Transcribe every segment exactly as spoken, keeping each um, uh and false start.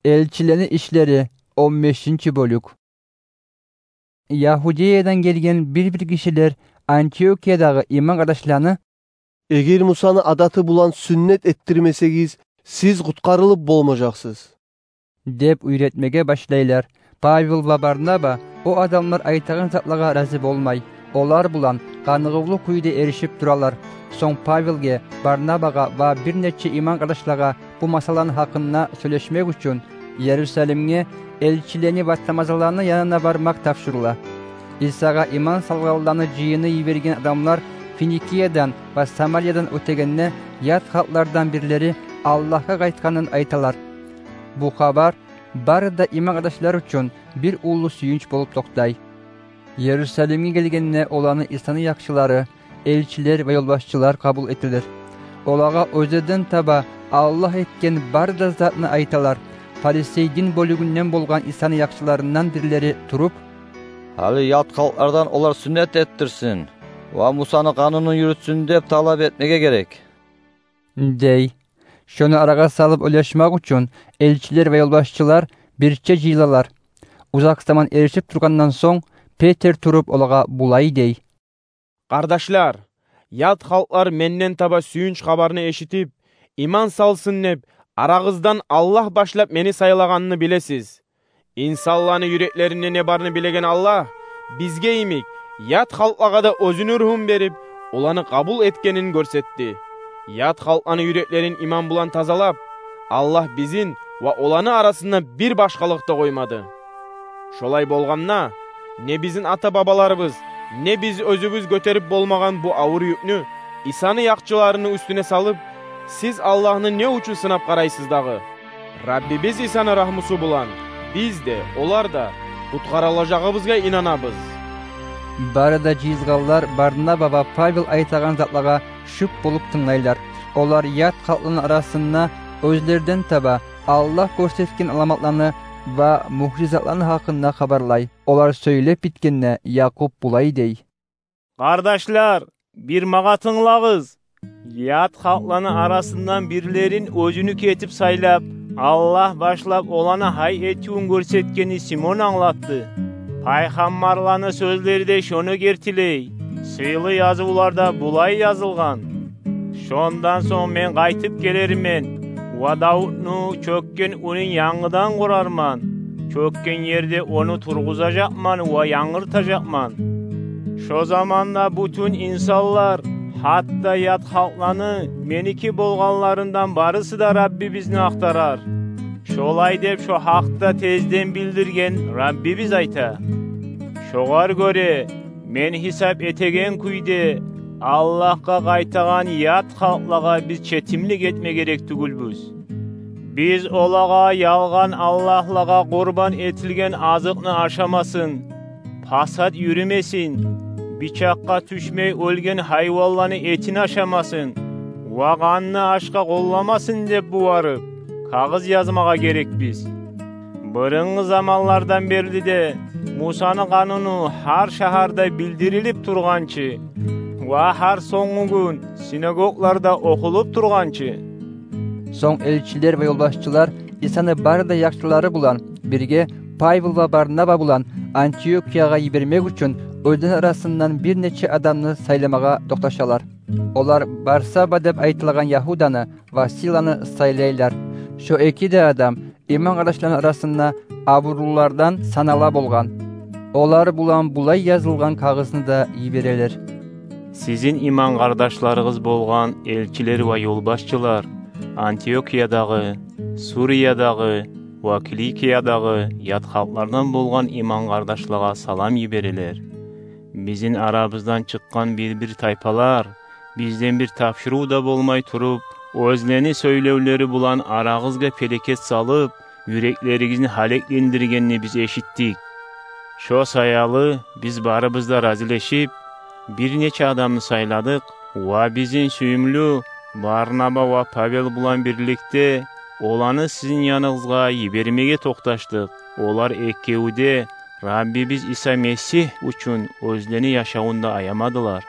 Элчилени ишлери, он бешинчи бёлюк. Ягьудиядан гелген бир-бир гишилер Антиохиядагъы иман къардашланы: «Эгер Мусаны адаты булан сюннет этдирмесегиз, сиз къутгъарылып болмажакъсыз», — деп уьйретмеге башлайлар. Павел ва Барнаба о адамлар айтагъан затлагъа рази болмай, олар булан къаныгъывлу кюйде эришип туралар. Сонг Павелге, Барнабагъа ва бир нече иман къардашлагъа бу масъаланы гьакъында сёйлешмек учун Иерусалимге элчилени ва тамазаланы янына бармакъ тапшурыла. Исагъа иман салгъанланы жыйыны йиберген адамлар Финикиядан ва Самариядан оьтегенде, ят халкълардан бирлери Аллагьгъа къайтгъанын айталар. Бу хабар бары да иман къардашлар учун бир уллу сююнч болуп токътай. Иерусалимге гелгенде, оланы Исаны якъчылары, элчилер ва ёлбашчылар къабул этелер. Олагъа оьзлерден таба Аллагь этген бары да затны айталар. Фарисей дин бёлюгюнден болгъан Исаны якъчыларындан бирлери туруп: «Гьали ят халкълардан олар сюннет этдирсин ва Мусаны къанунун юрютсюн деп талап этмеге герек», — дей. Шону арагъа салып ойлашмакъ учун элчилер ва ёлбашчылар бирче жыйылалар. Узакъ заман эришип тургъандан сонг, Петр туруп, олагъа булай дей: «Къардашлар, ят халкълар менден таба сююнч хабарны эшитип, иман салсын деп, арагъыздан Аллагь башлап мени сайлагъанны билесиз. Инсанланы юреклеринде не барны билеген Аллагь бизге йимик, ят халкълагъа да оьзюню рухун берип, оланы къабул этгенин гёрсетди. Ят халкъланы юреклерин иман булан тазалап, Аллагь бизин ва оланы арасында бир башгъалыкъ да къоймады. Шолай болгъанда, не бизин ата-бабаларыбыз, не биз оьзюбюз гётерип болмагъан бу авур юкню Исаны якъчыларыны уьстюне салып, сиз Аллагьны не учун сынап къарайсыз дагъы? Раббибиз Исаны рагьмусу булан биз де, олар да къутгъарылажагъыбызгъа инанабыз». Бары да жыйылгъанлар Барнаба ва Павел айтагъан затлагъа шуп болуп тынглайлар. Олар ят халкъланы арасында оьзлерден таба Аллагь гёрсетген аламатланы ва муъжизатланы гьакъында хабарлай. Олар сёйлеп битгенде, Якъуб булай дей: «Къардашлар, бир магъа тынглагъыз. Ят халкъланы арасындан бирлерин оьзюню этип сайлап, Аллагь башлап оланы гьай этивюн гёрсетгенни Симон англатды. Пайхаммарланы сёзлери де шону гертилей. Сыйлы язывларда булай язылгъан: Шондан сонг мен къайтып гелермен ва Давутну чёкген уьюн янгыдан къурарман, чёкген ерде ону тургъузажакъман ва янгыртажакъман. Шо заманда бютюн инсанлар, гьатта ят халкъланы, меники болгъанларындан барысы да Раббибизни актарар». Шолай деп шо гьакъда тезден билдирген Раббибиз айта. Шогъар гёре, мен гьисап этеген кюйде, Аллагьгъа къайтагъан ят халкълагъа биз четимлик этме герек тюгюлбюз. Биз олагъа ялгъан аллагьлагъа къурбан этилген азыкъны ашамасын, пасат юрюмесин, бичакъгъа тюшмей оьлген гьайванланы этин ашамасын ва къанны ашгъа къолламасын деп бугъарып, кагъыз язмагъа герекбиз. Бырынгъы заманлардан берли де Мусаны къануну гьар шагьарда билдирилип тургъанчы ва гьар сонггъу гюн синагогларда охулуп тургъанчы. Сонг элчилер ва ёлбашчылар Исаны бары да якъчылары булан бирге Павел ва Барнаба булан Антиохиягъа йибермек учун оьзлени арасындан бир нече адамны сайламагъа токъташалар. Олар Барсаба деп айтылагъан Ягьуданы ва Силаны сайлайлар. Шо эки де адам иман къардашланы арасында абурлулардан санала болгъан. Олар булан булай язылгъан кагъызны да йиберелер: «Сизин иман къардашларыгъыз болгъан элчилер ва ёлбашчылар Антиохиядагъы, Суриядагъы ва Киликиядагъы ят халкълардан болгъан иман къардашлагъа салам йиберелер. Бизин арабыздан чыкъгъан бир-бир тайпалар, бизден бир тапшурыв да болмай туруп, оьзлени сёйлевлери булан арагъызгъа пелекет салып, юреклеригизни гьалеклендиргенни биз эшитдик. Шо саялы биз барыбыз да разилешип, бир нече адамны сайладыкъ ва бизин сююмлю Барнаба ва Павел булан бирликде оланы сизин яныгъызгъа йибермеге токъташдыкъ. Олар экеви де Раббибиз Иса Месигь учун оьзлени яшавун да аямадылар.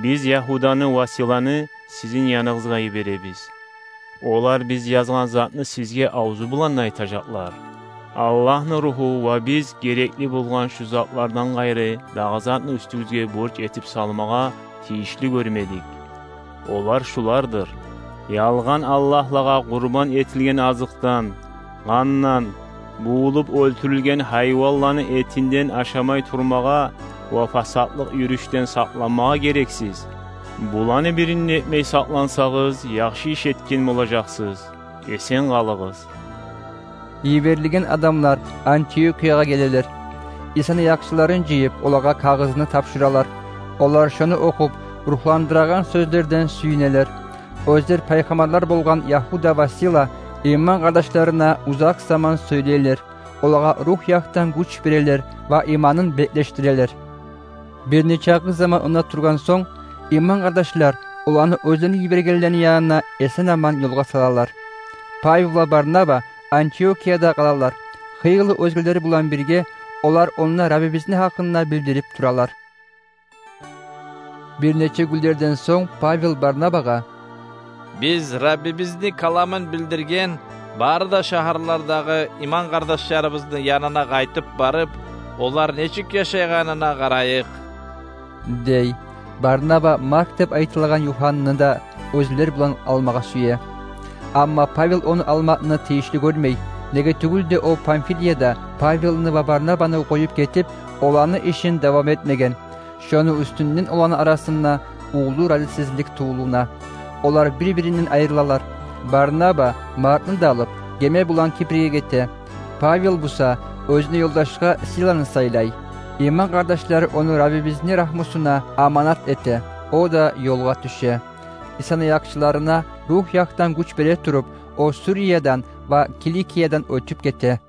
Биз Ягьуданы ва Силаны сизин яныгъызгъа йиберебиз. Олар биз язгъан затны сизге авзу булан айтажакълар. Аллагьны Руху ва биз герекли болгъан шу затлардан къайры дагъы затны уьстюгюзге борч этип салмагъа тийишли гёрмедик. Олар шулардыр: ялгъан аллагьлагъа къурбан этилген азыкъдан, къандан, бувулуп оьлтюрюлген гьайванланы этинден ашамай турмагъа ва фасатлыкъ юрюшден сакъланмагъа герексиз. Буланы бирин де этмей сакълансагъыз, яхшы иш этген болажакъсыз. Эсен къалыгъыз. Йиберилген адамлар Антиохиягъа гелелер. Исаны якъчыларын жыйып, олагъа кагъызны тапшуралар. Олар шону охуп, рухландырагъан сёзлерден сююнелер. Оьзлер пайхаммарлар болгъан Ягьуда ва Сила иман къардашларына узакъ заман сёйлейлер, олагъа рух якъдан гюч берелер ва иманын беклешдирелер. Бир нече аз заман онда тургъан сонг, иман къардашлар оланы оьзлени йибергенлени янына эсен-аман ёлгъа салалар. Павел ва Барнаба Антиохияда къалалар. Хыйлы оьзгелер булан бирге олар онда Раббибизни гьакъында билдирип туралар. Бир нече гюнлерден сонг Павел Барнабагъа: «Биз Раббибизни каламын билдирген бары да шагьарлардагъы иман къардашларыбызны янына къайтып барып, олар нечик яшайгъанына къарайыкъ», — дей. Барнаба Марк деп айтылагъан Юханнаны да оьзлер булан алмагъа сюе. Амма Павел ону алмакъны тийишли гёрмей, неге тюгюл де о Памфилияда Павелни ва Барнабаны къоюп гетип, оланы ишин давам этмеген. Шону уьстюнден оланы арасында уллу разисизлик тувулуна. Олар бир-биринден айрылалар. Барнаба Маркны да алып, геме булан Кипрге гете. Павел буса оьзюне ёлдашгъа Силаны сайлай. Иман къардашлар ону Раббибизни рагьмусуна аманат эте. О да ёлгъа тюше. Исаны якъчыларына рух якъдан гюч бере туруп, о Суриядан ва Киликиядан оьтюп гете.